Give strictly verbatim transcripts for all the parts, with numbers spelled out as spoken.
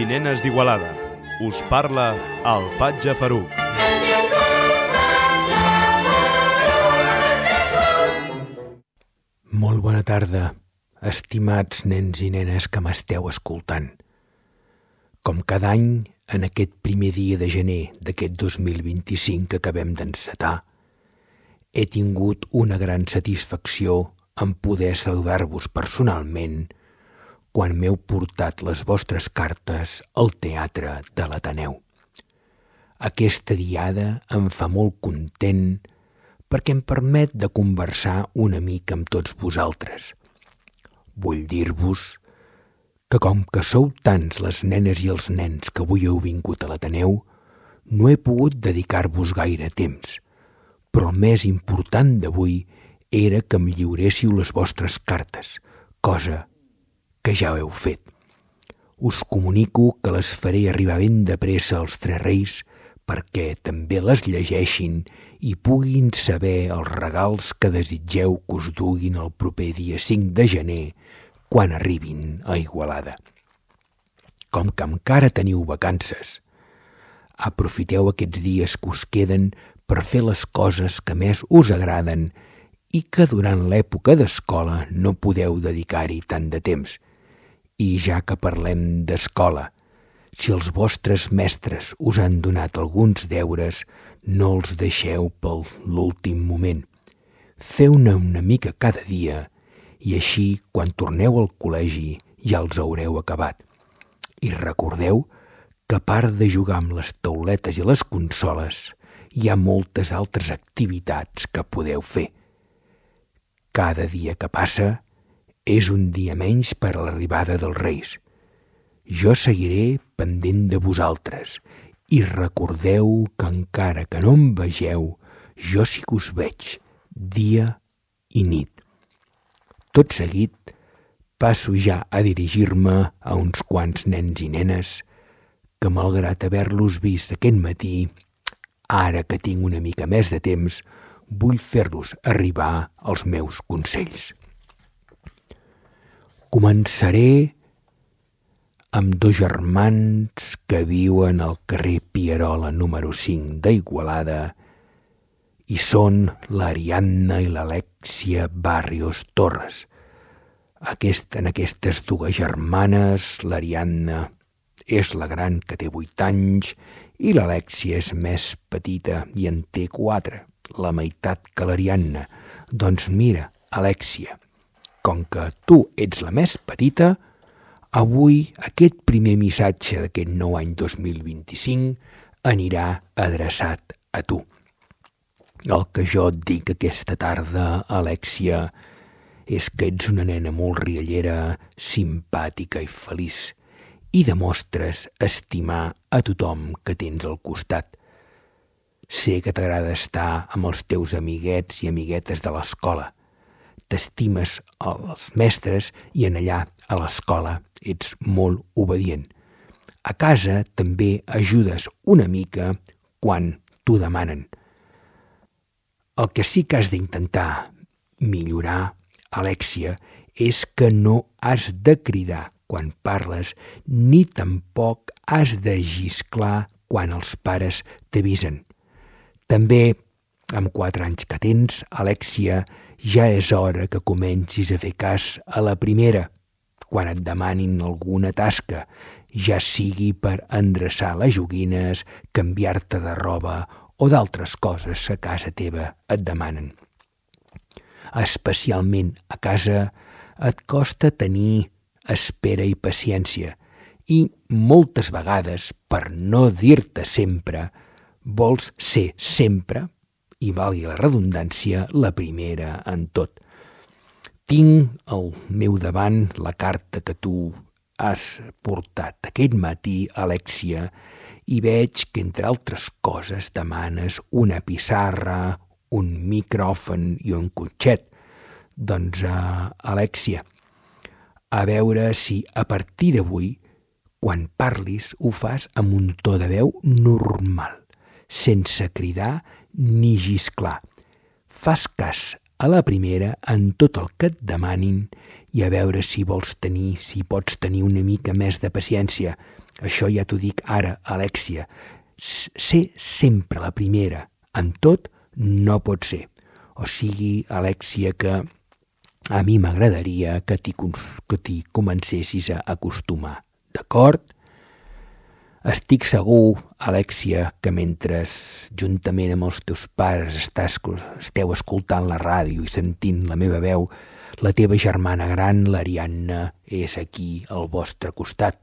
i nenes d'Igualada. Us parla el Patge Faruc. Molt bona tarda, estimats nens i nenes que m'esteu escoltant. Com cada any, en aquest primer dia de gener d'aquest dos mil vint-i-cinc que acabem d'encetar, he tingut una gran satisfacció en poder saludar-vos personalment quan m'heu portat les vostres cartes al Teatre de l'Ateneu. Aquesta diada em fa molt content perquè em permet de conversar una mica amb tots vosaltres. Vull dir-vos que com que sou tants les nenes i els nens que avui heu vingut a l'Ateneu, no he pogut dedicar-vos gaire temps, però el més important d'avui era que em lliuréssiu les vostres cartes, cosa que ja heu fet. Us comunico que les faré arribar ben de pressa als Tres Reis perquè també les llegeixin i puguin saber els regals que desitgeu que us duguin el proper dia cinc de gener quan arribin a Igualada. Com que encara teniu vacances, aprofiteu aquests dies que us queden per fer les coses que més us agraden i que durant l'època d'escola no podeu dedicar-hi tant de temps. I ja que parlem d'escola, si els vostres mestres us han donat alguns deures, no els deixeu per l'últim moment. Feu-ne una mica cada dia i així, quan torneu al col·legi, ja els haureu acabat. I recordeu que a part de jugar amb les tauletes i les consoles, hi ha moltes altres activitats que podeu fer. Cada dia que passa és un dia menys per a l'arribada dels Reis. Jo seguiré pendent de vosaltres i recordeu que encara que no em vegeu, jo sí que us veig, dia i nit. Tot seguit, passo ja a dirigir-me a uns quants nens i nenes que, malgrat haver-los vist aquest matí, ara que tinc una mica més de temps, vull fer-los arribar els meus consells. Començaré amb dos germans que viuen al carrer Pierola número cinc d'Igualada i són l'Ariadna i l'Alèxia Barrios Torres. Aquest, en aquestes dues germanes, l'Ariadna és la gran, que té vuit anys, i l'Alèxia és més petita i en té quatre, la meitat que l'Ariadna. Doncs mira, Alèxia, com que tu ets la més petita, avui aquest primer missatge d'aquest nou any dos mil vint-i-cinc anirà adreçat a tu. El que jo et dic aquesta tarda, Alèxia, és que ets una nena molt riallera, simpàtica i feliç, i demostres estimar a tothom que tens al costat. Sé que t'agrada estar amb els teus amiguets i amiguetes de l'escola. T'estimes els mestres i en allà, a l'escola, ets molt obedient. A casa també ajudes una mica quan t'ho demanen. El que sí que has d'intentar millorar, Alèxia, és que no has de cridar quan parles ni tampoc has de xisclar quan els pares t'avisen. També, amb quatre anys que tens, Alèxia, ja és hora que comencis a fer cas a la primera, quan et demanin alguna tasca, ja sigui per endreçar les joguines, canviar-te de roba o d'altres coses que a casa teva et demanen. Especialment a casa et costa tenir espera i paciència i moltes vegades, per no dir-te sempre, vols ser sempre, i valgui la redundància, la primera en tot. Tinc al meu davant la carta que tu has portat aquest matí, Alèxia, i veig que, entre altres coses, demanes una pissarra, un micròfon i un cotxet. Doncs, uh, Alèxia, a veure si a partir d'avui, quan parlis, ho fas amb un to de veu normal, sense cridar ni xisclar. Fas cas a la primera en tot el que et demanin i a veure si vols tenir, si pots tenir una mica més de paciència. Això ja t'ho dic ara, Alèxia. Ser sempre la primera en tot no pot ser. O sigui, Alèxia, que a mi m'agradaria que t'hi, que t'hi comencessis a acostumar. D'acord? Estic segur, Alèxia, que mentre juntament amb els teus pares estàs, esteu escoltant la ràdio i sentint la meva veu, la teva germana gran, l'Ariadna, és aquí al vostre costat.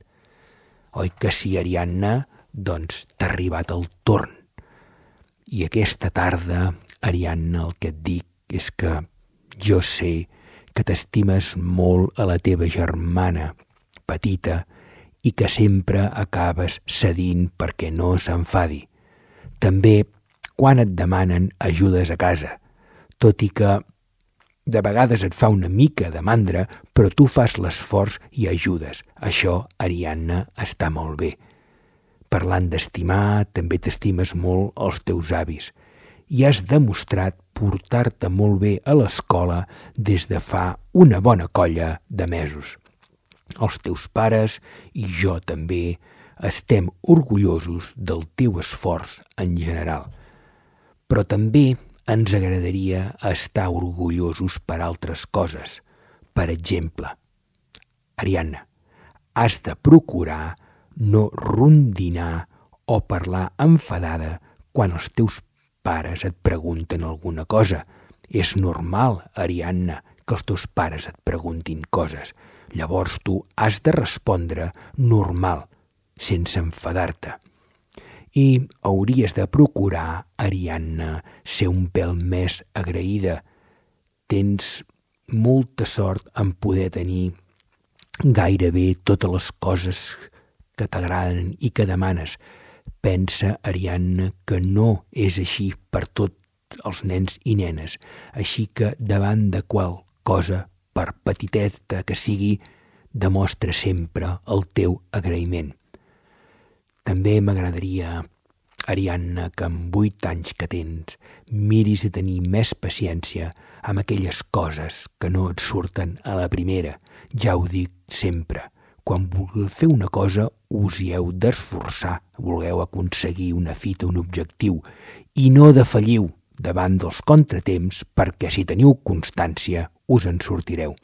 Oi que sí, Ariadna? Doncs t'ha arribat el torn. I aquesta tarda, Ariadna, el que et dic és que jo sé que t'estimes molt a la teva germana petita i que sempre acabes cedint perquè no s'enfadi. També quan et demanen ajudes a casa, tot i que de vegades et fa una mica de mandra, però tu fas l'esforç i ajudes. Això, Ariadna, està molt bé. Parlant d'estimar, també t'estimes molt els teus avis i has demostrat portar-te molt bé a l'escola des de fa una bona colla de mesos. Els teus pares i jo també estem orgullosos del teu esforç en general, però també ens agradaria estar orgullosos per altres coses. Per exemple, Ariadna, has de procurar no rondinar o parlar enfadada quan els teus pares et pregunten alguna cosa. És normal, Ariadna, que els teus pares et preguntin coses. Llavors tu has de respondre normal, sense enfadar-te. I hauries de procurar, Ariadna, ser un pèl més agraïda. Tens molta sort en poder tenir gairebé totes les coses que t'agraden i que demanes. Pensa, Ariadna, que no és així per tots els nens i nenes, així que davant de qual cosa, per petiteta que sigui, demostra sempre el teu agraïment. També m'agradaria, Ariadna, que amb vuit anys que tens miris de tenir més paciència amb aquelles coses que no et surten a la primera. Ja ho dic sempre, quan vulgueu fer una cosa us hi heu d'esforçar, vulgueu aconseguir una fita, un objectiu, i no defalliu davant dels contratemps perquè si teniu constància us en sortireu.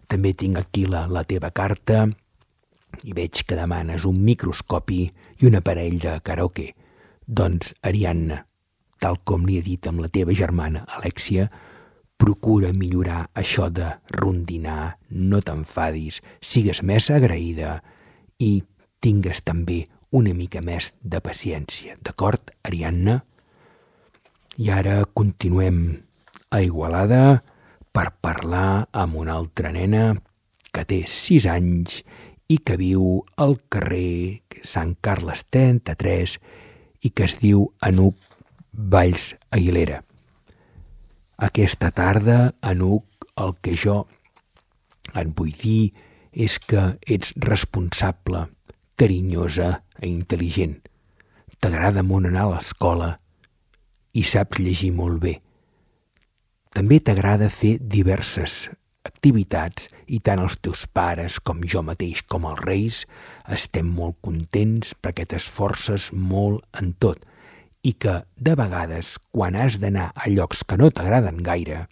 També tinc aquí la, la teva carta i veig que demanes un microscopi i un aparell de karaoke. Doncs, Ariadna, tal com li he dit amb la teva germana Alèxia, procura millorar això de rondinar, no t'enfadis, sigues més agraïda i tingues també una mica més de paciència. D'acord, Ariadna? I ara continuem a Igualada per parlar amb una altra nena que té sis anys i que viu al carrer Sant Carles trenta-tres i que es diu Anuc Valls Aguilera. Aquesta tarda, Anuc, el que jo et vull dir és que ets responsable, carinyosa i intel·ligent. T'agrada molt anar a l'escola i saps llegir molt bé. També t'agrada fer diverses activitats i tant els teus pares com jo mateix com els Reis estem molt contents perquè t'esforces molt en tot i que de vegades quan has d'anar a llocs que no t'agraden gaire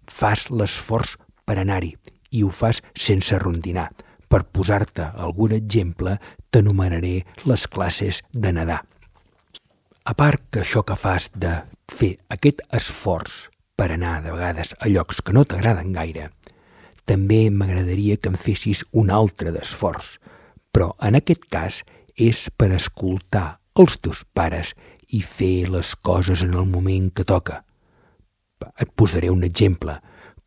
fas l'esforç per anar-hi i ho fas sense rondinar. Per posar-te algun exemple t'enumeraré les classes de nedar. A part que això que fas de fer aquest esforç per anar de vegades a llocs que no t'agraden gaire, també m'agradaria que em fessis un altre d'esforç, però en aquest cas és per escoltar els teus pares i fer les coses en el moment que toca. Et posaré un exemple.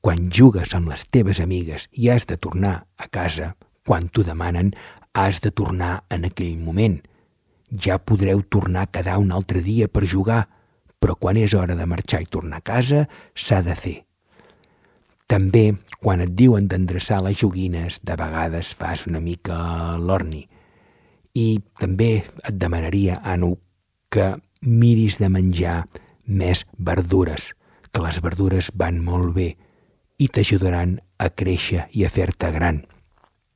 Quan jugues amb les teves amigues i has de tornar a casa, quan t'ho demanen, has de tornar en aquell moment. Ja podreu tornar a quedar un altre dia per jugar, però quan és hora de marxar i tornar a casa, s'ha de fer. També, quan et diuen d'endreçar les joguines, de vegades fas una mica l'orni. I també et demanaria, Anu, que miris de menjar més verdures, que les verdures van molt bé i t'ajudaran a créixer i a fer-te gran.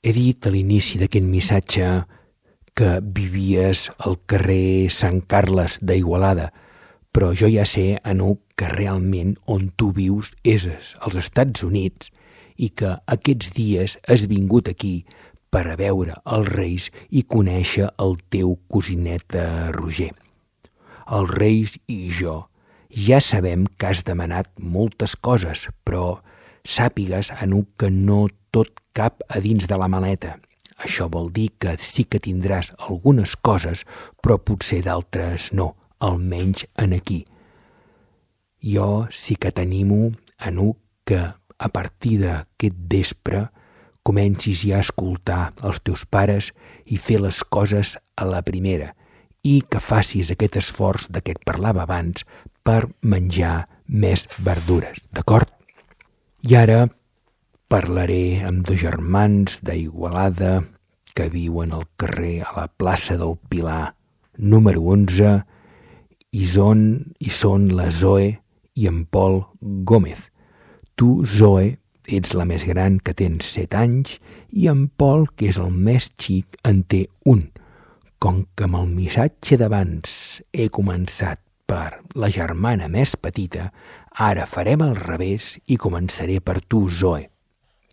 He dit a l'inici d'aquest missatge que vivies al carrer Sant Carles d'Igualada, però jo ja sé, Anuc, que realment on tu vius és als Estats Units i que aquests dies has vingut aquí per a veure els Reis i conèixer el teu cosinet Roger. Els Reis i jo ja sabem que has demanat moltes coses, però sàpigues, Anuc, que no tot cap a dins de la maleta. Això vol dir que sí que tindràs algunes coses, però potser d'altres no, almenys en aquí. Jo sí que t'animo, Anuc, que a partir d'aquest vespre comencis ja a escoltar els teus pares i fer les coses a la primera i que facis aquest esforç de què et parlava abans per menjar més verdures, d'acord? I ara parlaré amb dos germans d'Igualada que viuen al carrer a la plaça del Pilar número onze i són, i són la Zoe i en Pol Gómez. Tu, Zoe, ets la més gran, que tens set anys, i en Pol, que és el més xic, en té un. Com que amb el missatge d'abans he començat per la germana més petita, ara farem al revés i començaré per tu, Zoe,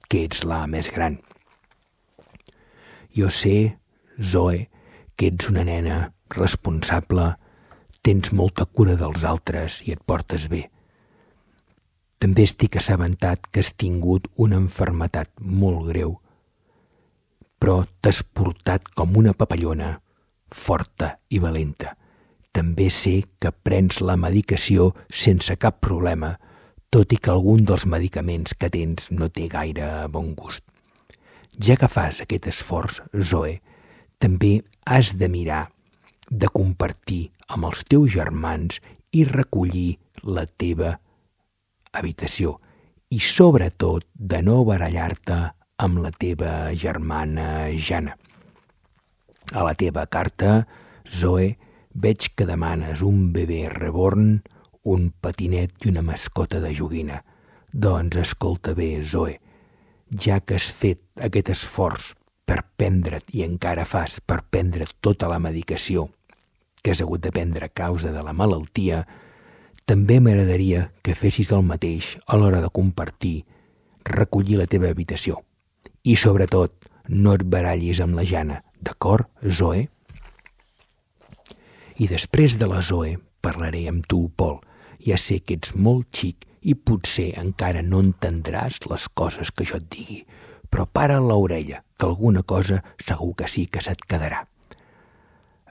que ets la més gran. Jo sé, Zoe, que ets una nena responsable, tens molta cura dels altres i et portes bé. També estic assabentat que has tingut una malaltia molt greu, però t'has portat com una papallona, forta i valenta. També sé que prens la medicació sense cap problema, tot i que algun dels medicaments que tens no té gaire bon gust. Ja que fas aquest esforç, Zoe, també has de mirar de compartir amb els teus germans i recollir la teva habitació i sobretot de no barallar-te amb la teva germana Jana. A la teva carta, Zoe, veig que demanes un bebè reborn, un patinet i una mascota de joguina. Doncs escolta bé, Zoe, ja que has fet aquest esforç per prendre't i encara fas per prendre tota la medicació que has hagut de prendre a causa de la malaltia, també m'agradaria que fessis el mateix a l'hora de compartir, recollir la teva habitació. I sobretot, no et barallis amb la Jana, d'acord, Zoe? I després de la Zoe parlaré amb tu, Pol. Ja sé que ets molt xic i potser encara no entendràs les coses que jo et digui, però para l'orella, que alguna cosa segur que sí que se't quedarà.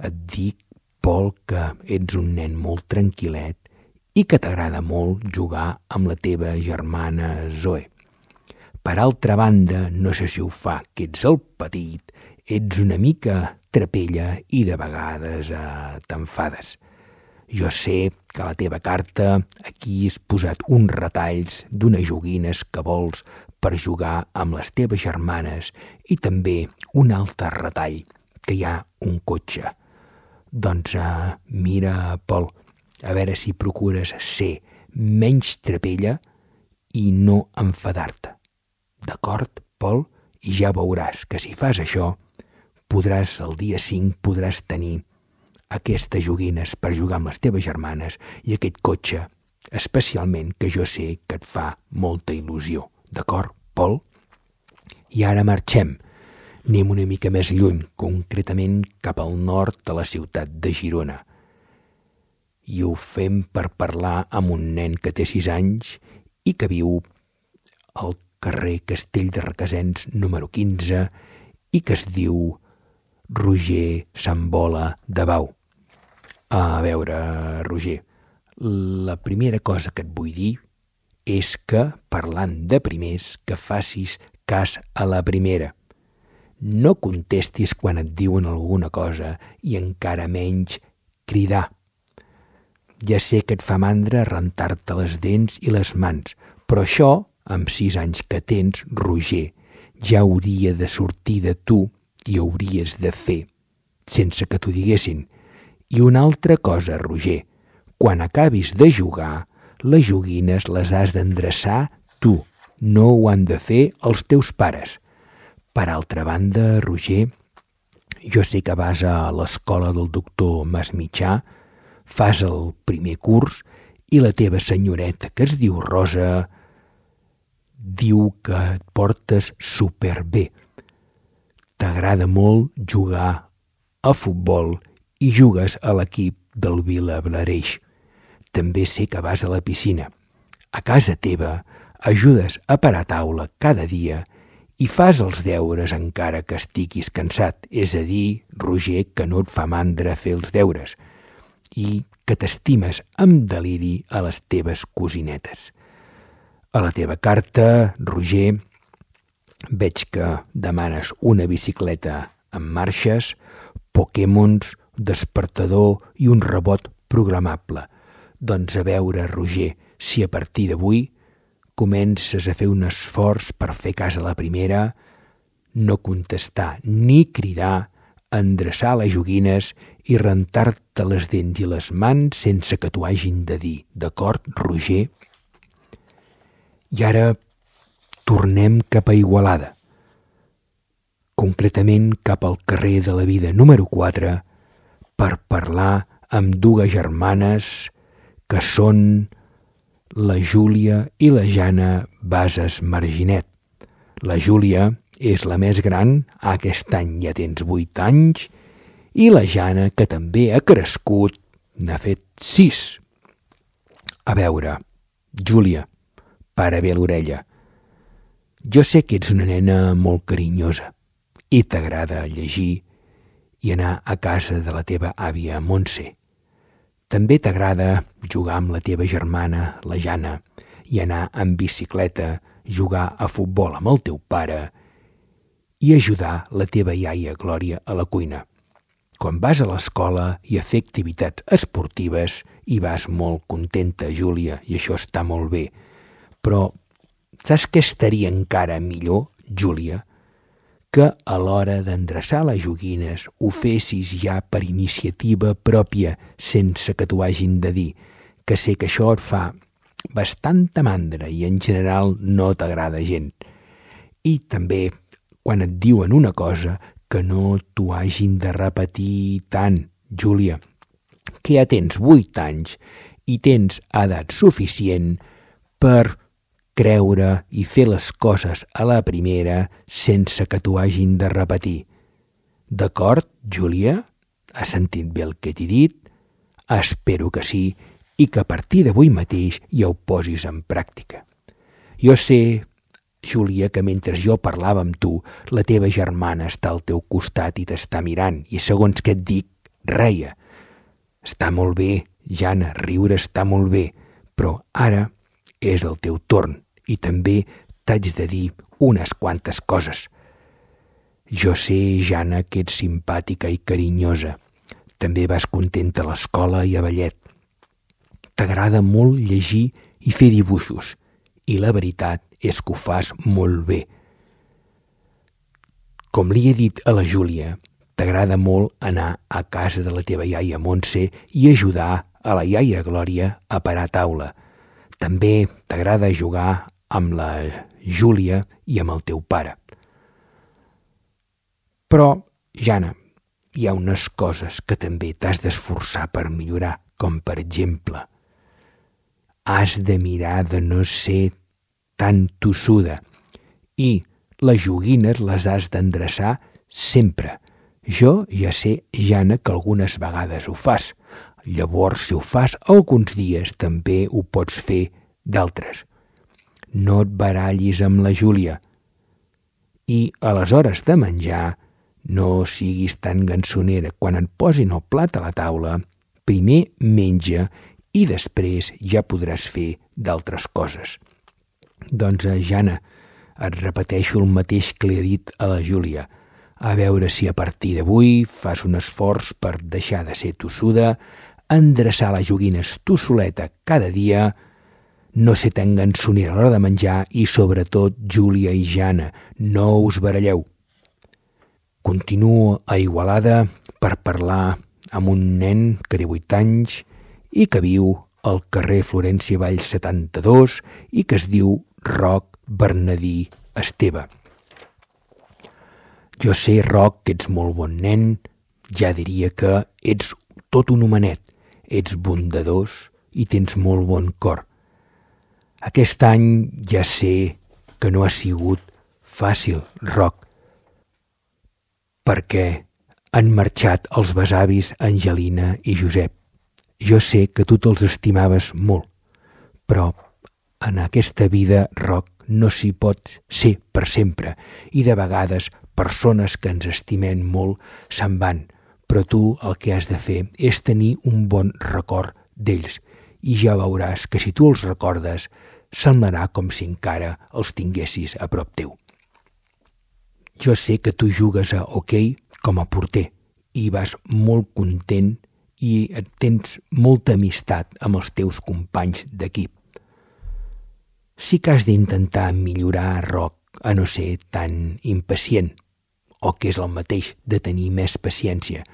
Et dic, Pol, que ets un nen molt tranquil·let i que t'agrada molt jugar amb la teva germana Zoe. Per altra banda, no sé si ho fa que ets el petit, ets una mica trapella i de vegades eh, t'enfades. Jo sé que a la teva carta aquí has posat uns retalls d'unes joguines que vols per jugar amb les teves germanes i també un altre retall, que hi ha un cotxe. Doncs uh, mira, Pol, a veure si procures ser menys trapella i no enfadar-te. D'acord, Pol? I ja veuràs que si fas això, podràs, el dia cinc, podràs tenir aquestes joguines per jugar amb les teves germanes i aquest cotxe, especialment que jo sé que et fa molta il·lusió. D'acord, Pol? I ara marxem. Anem una mica més lluny, concretament cap al nord de la ciutat de Girona. I ho fem per parlar amb un nen que té sis anys i que viu al carrer Castell de Requesens número quinze i que es diu Roger Sambola de Bau. A veure, Roger, la primera cosa que et vull dir és que, parlant de primers, que facis cas a la primera. No contestis quan et diuen alguna cosa i encara menys cridar. Ja sé que et fa mandra rentar-te les dents i les mans, però això, amb sis anys que tens, Roger, ja hauria de sortir de tu i hauries de fer, sense que t'ho diguessin. I una altra cosa, Roger, quan acabis de jugar, les joguines les has d'endreçar tu, no ho han de fer els teus pares. Per altra banda, Roger, Jo sé que vas a l'escola del doctor Masmitjà, fas el primer curs i la teva senyoreta, que es diu Rosa, diu que et portes superbé. T'agrada molt jugar a futbol i jugues a l'equip del Vilablareix. També sé que vas a la piscina. A casa teva ajudes a parar taula cada dia i fas els deures encara que estiguis cansat, és a dir, Roger, que no et fa mandra fer els deures i que t'estimes amb deliri a les teves cosinetes. A la teva carta, Roger, veig que demanes una bicicleta amb marxes, Pokémons, despertador i un rebot programable. Doncs a veure, Roger, si a partir d'avui comences a fer un esforç per fer cas a la primera, no contestar ni cridar, endreçar les joguines i rentar-te les dents i les mans sense que t'ho hagin de dir. D'acord, Roger? I ara tornem cap a Igualada, concretament cap al carrer de la Vida número quatre, per parlar amb dues germanes que són la Júlia i la Jana Bases Marginet. La Júlia és la més gran, aquest any ja tens vuit anys, i la Jana, que també ha crescut, n'ha fet sis. A veure, Júlia, para bé l'orella. Jo sé que ets una nena molt carinyosa i t'agrada llegir i anar a casa de la teva àvia Montse. També t'agrada jugar amb la teva germana, la Jana, i anar en bicicleta, jugar a futbol amb el teu pare i ajudar la teva iaia Glòria a la cuina. Quan vas a l'escola i a fer activitats esportives hi vas molt contenta, Júlia, i això està molt bé. Però saps què estaria encara millor, Júlia? Que a l'hora d'endreçar les joguines ho fessis ja per iniciativa pròpia, sense que t'ho hagin de dir, que sé que això et fa bastanta mandra i en general no t'agrada gent. I també, quan et diuen una cosa, que no t'ho hagin de repetir tant, Júlia, que ja tens vuit anys i tens edat suficient per creure i fer les coses a la primera sense que t'ho hagin de repetir. D'acord, Júlia? Has sentit bé el que t'he dit? Espero que sí i que a partir d'avui mateix ja ho posis en pràctica. Jo sé, Júlia, que mentre jo parlava amb tu, la teva germana està al teu costat i t'està mirant i segons què et dic, reia. Està molt bé, Jana, riure està molt bé, però ara és el teu torn i també t'haig de dir unes quantes coses. Jo sé, Jana, que ets simpàtica i carinyosa. També vas contenta a l'escola i a ballet. T'agrada molt llegir i fer dibuixos i la veritat és que ho fas molt bé. Com li he dit a la Júlia, t'agrada molt anar a casa de la teva iaia Montse i ajudar a la iaia Glòria a parar taula. També t'agrada jugar amb la Júlia i amb el teu pare. Però, Jana, hi ha unes coses que també t'has d'esforçar per millorar, com per exemple, has de mirar de no ser tan tossuda i les joguines les has d'endreçar sempre. Jo ja sé, Jana, que algunes vegades ho fas. Llavors, si ho fas alguns dies, també ho pots fer d'altres. No et barallis amb la Júlia. I a les hores de menjar no siguis tan gansonera. Quan et posin el plat a la taula, primer menja i després ja podràs fer d'altres coses. Doncs, Jana, et repeteixo el mateix que li he dit a la Júlia. A veure si a partir d'avui fas un esforç per deixar de ser tossuda, endreçar les joguines tu soleta cada dia, no ser tan gansonera a l'hora de menjar i, sobretot, Júlia i Jana, no us baralleu. Continuo a Igualada per parlar amb un nen que té vuit anys i que viu al carrer Florència Vall setanta-dos i que es diu Roc Bernadí Esteve. Jo sé, Roc, que ets molt bon nen, ja diria que ets tot un homenet, ets bondadós i tens molt bon cor. Aquest any ja sé que no ha sigut fàcil, Roc, perquè han marxat els besavis Angelina i Josep. Jo sé que tu te'ls estimaves molt, però en aquesta vida, Roc, no s'hi pot ser per sempre i de vegades persones que ens estimem molt se'n van, però tu el que has de fer és tenir un bon record d'ells i ja veuràs que si tu els recordes semblarà com si encara els tinguessis a prop teu. Jo sé que tu jugues a hoquei com a porter i vas molt content i tens molta amistat amb els teus companys d'equip. Sí que has d'intentar millorar, Roc, a no ser tan impacient, o que és el mateix de tenir més paciència.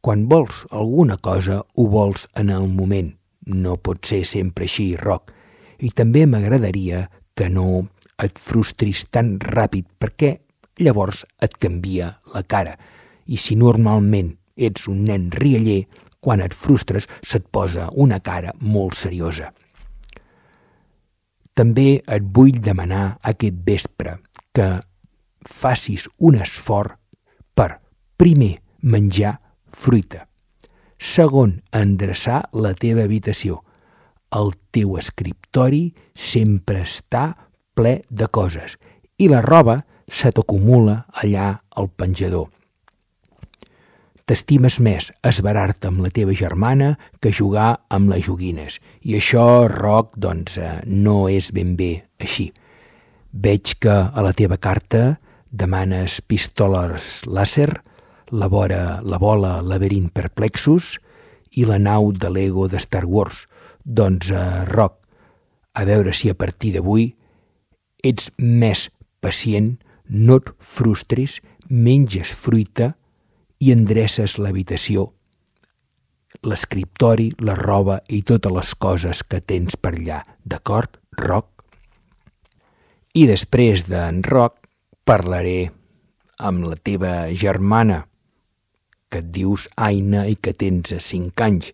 Quan vols alguna cosa, ho vols en el moment. No pot ser sempre així, Roc. I també m'agradaria que no et frustris tan ràpid perquè llavors et canvia la cara. I si normalment ets un nen rialler, quan et frustres se't posa una cara molt seriosa. També et vull demanar aquest vespre que facis un esforç per, primer, menjar fruita. Segon, endreçar la teva habitació. El teu escriptori sempre està ple de coses i la roba se t'acumula allà al penjador. T'estimes més esverar-te amb la teva germana que jugar amb les joguines. I això, Roc, doncs, no és ben bé així. Veig que a la teva carta demanes pistoles làser, la, vora, la bola laberint perplexos i la nau de Lego de Star Wars. Doncs, eh, Roc, a veure si a partir d'avui ets més pacient, no et frustris, menges fruita i endreces l'habitació, l'escriptori, la roba i totes les coses que tens per allà. D'acord, Roc? I després d'en Roc parlaré amb la teva germana, que et dius Aina i que tens cinc anys.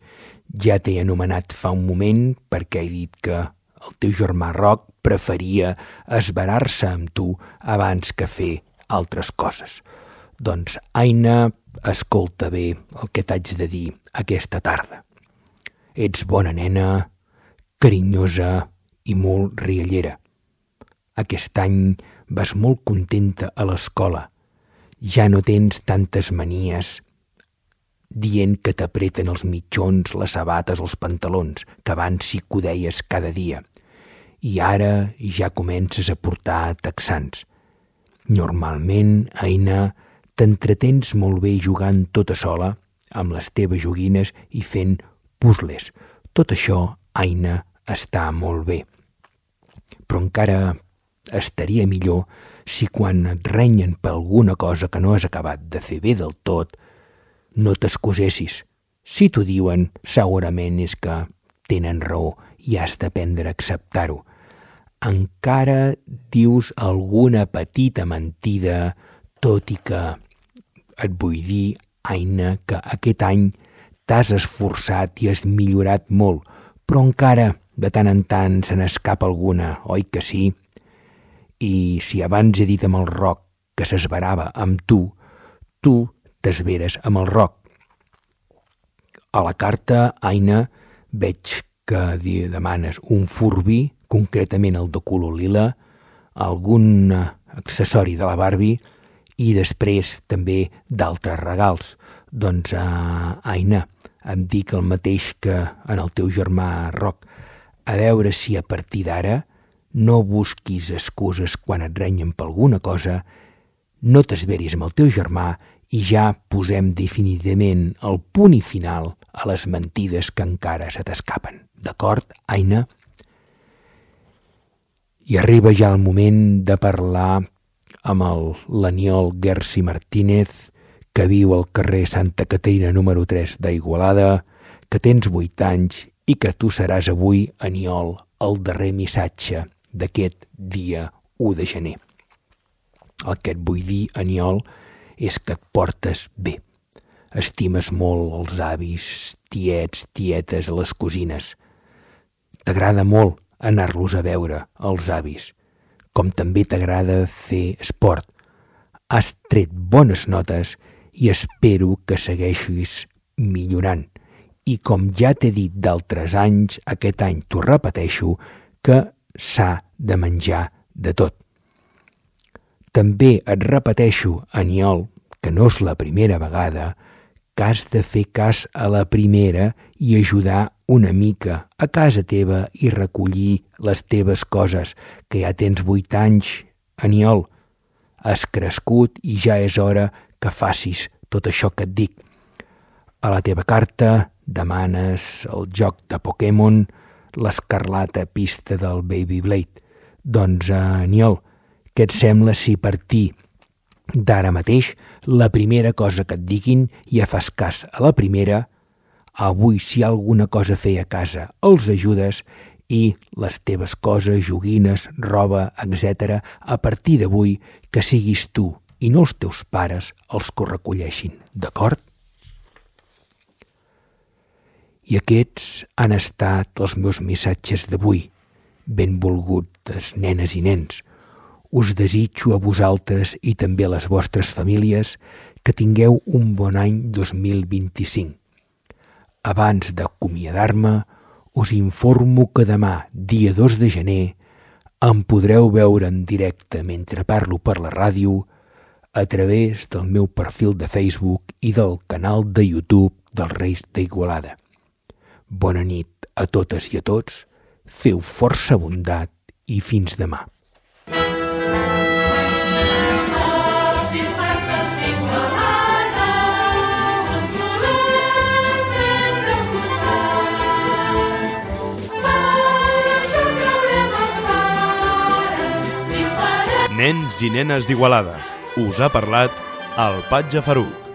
Ja t'he anomenat fa un moment perquè he dit que el teu germà Roc preferia esverar-se amb tu abans que fer altres coses. Doncs, Aina, escolta bé el que t'haig de dir aquesta tarda. Ets bona nena, carinyosa i molt riallera. Aquest any vas molt contenta a l'escola. Ja no tens tantes manies dient que t'apreten els mitjons, les sabates, els pantalons, que abans sí que ho deies cada dia. I ara ja comences a portar texans. Normalment, Aina, t'entretens molt bé jugant tota sola amb les teves joguines i fent puzzles. Tot això, Aina, està molt bé. Però encara estaria millor si quan et renyen per alguna cosa que no has acabat de fer bé del tot, no t'excusessis. Si t'ho diuen, segurament és que tenen raó i has d'aprendre a acceptar-ho. Encara dius alguna petita mentida, tot i que et vull dir, Aina, que aquest any t'has esforçat i has millorat molt, però encara de tant en tant se n'escapa alguna, oi que sí? I si abans he dit amb el Roc que s'esverava amb tu, tu t'esveres amb el Roc. A la carta, Aina, veig que demanes un Furby, concretament el de color lila, algun accessori de la Barbie i després també d'altres regals. Doncs, uh, Aina, em dic el mateix que en el teu germà Roc. A veure si a partir d'ara no busquis excuses quan et renyen per alguna cosa, no t'esveris amb el teu germà i ja posem definitivament el punt i final a les mentides que encara se t'escapen. D'acord, Aina? I arriba ja el moment de parlar amb el l'Aniol Gersi Martínez, que viu al carrer Santa Caterina número tres d'Igualada, que tens vuit anys i que tu seràs avui, Aniol, el darrer missatge d'aquest dia u de gener. El que et vull dir, Aniol, és que et portes bé. Estimes molt els avis, tiets, tietes, les cosines. T'agrada molt anar-los a veure, els avis, com també t'agrada fer esport. Has tret bones notes i espero que segueixis millorant. I com ja t'he dit d'altres anys, aquest any t'ho repeteixo, que s'ha de menjar de tot. També et repeteixo, Aniol, que no és la primera vegada, que has de fer cas a la primera i ajudar una mica a casa teva i recollir les teves coses, que ja tens vuit anys, Aniol. Has crescut i ja és hora que facis tot això que et dic. A la teva carta demanes el joc de Pokémon, l'escarlata pista del Beyblade. Doncs, Aniol, què et sembla si per ti d'ara mateix la primera cosa que et diguin ja fas cas a la primera, avui si hi ha alguna cosa a fer a casa els ajudes i les teves coses, joguines, roba, etcètera, a partir d'avui que siguis tu i no els teus pares els que ho recolleixin, d'acord? I aquests han estat els meus missatges d'avui. Benvolgudes nenes i nens, us desitjo a vosaltres i també a les vostres famílies que tingueu un bon any dos mil vint-i-cinc. Abans d'acomiadar-me, us informo que demà, dia dos de gener, em podreu veure en directe mentre parlo per la ràdio a través del meu perfil de Facebook i del canal de YouTube dels Reis d'Igualada. Bona nit a totes i a tots, feu força bondat i fins demà. Nens i nenes d'Igualada. Us ha parlat el Patge Faruc.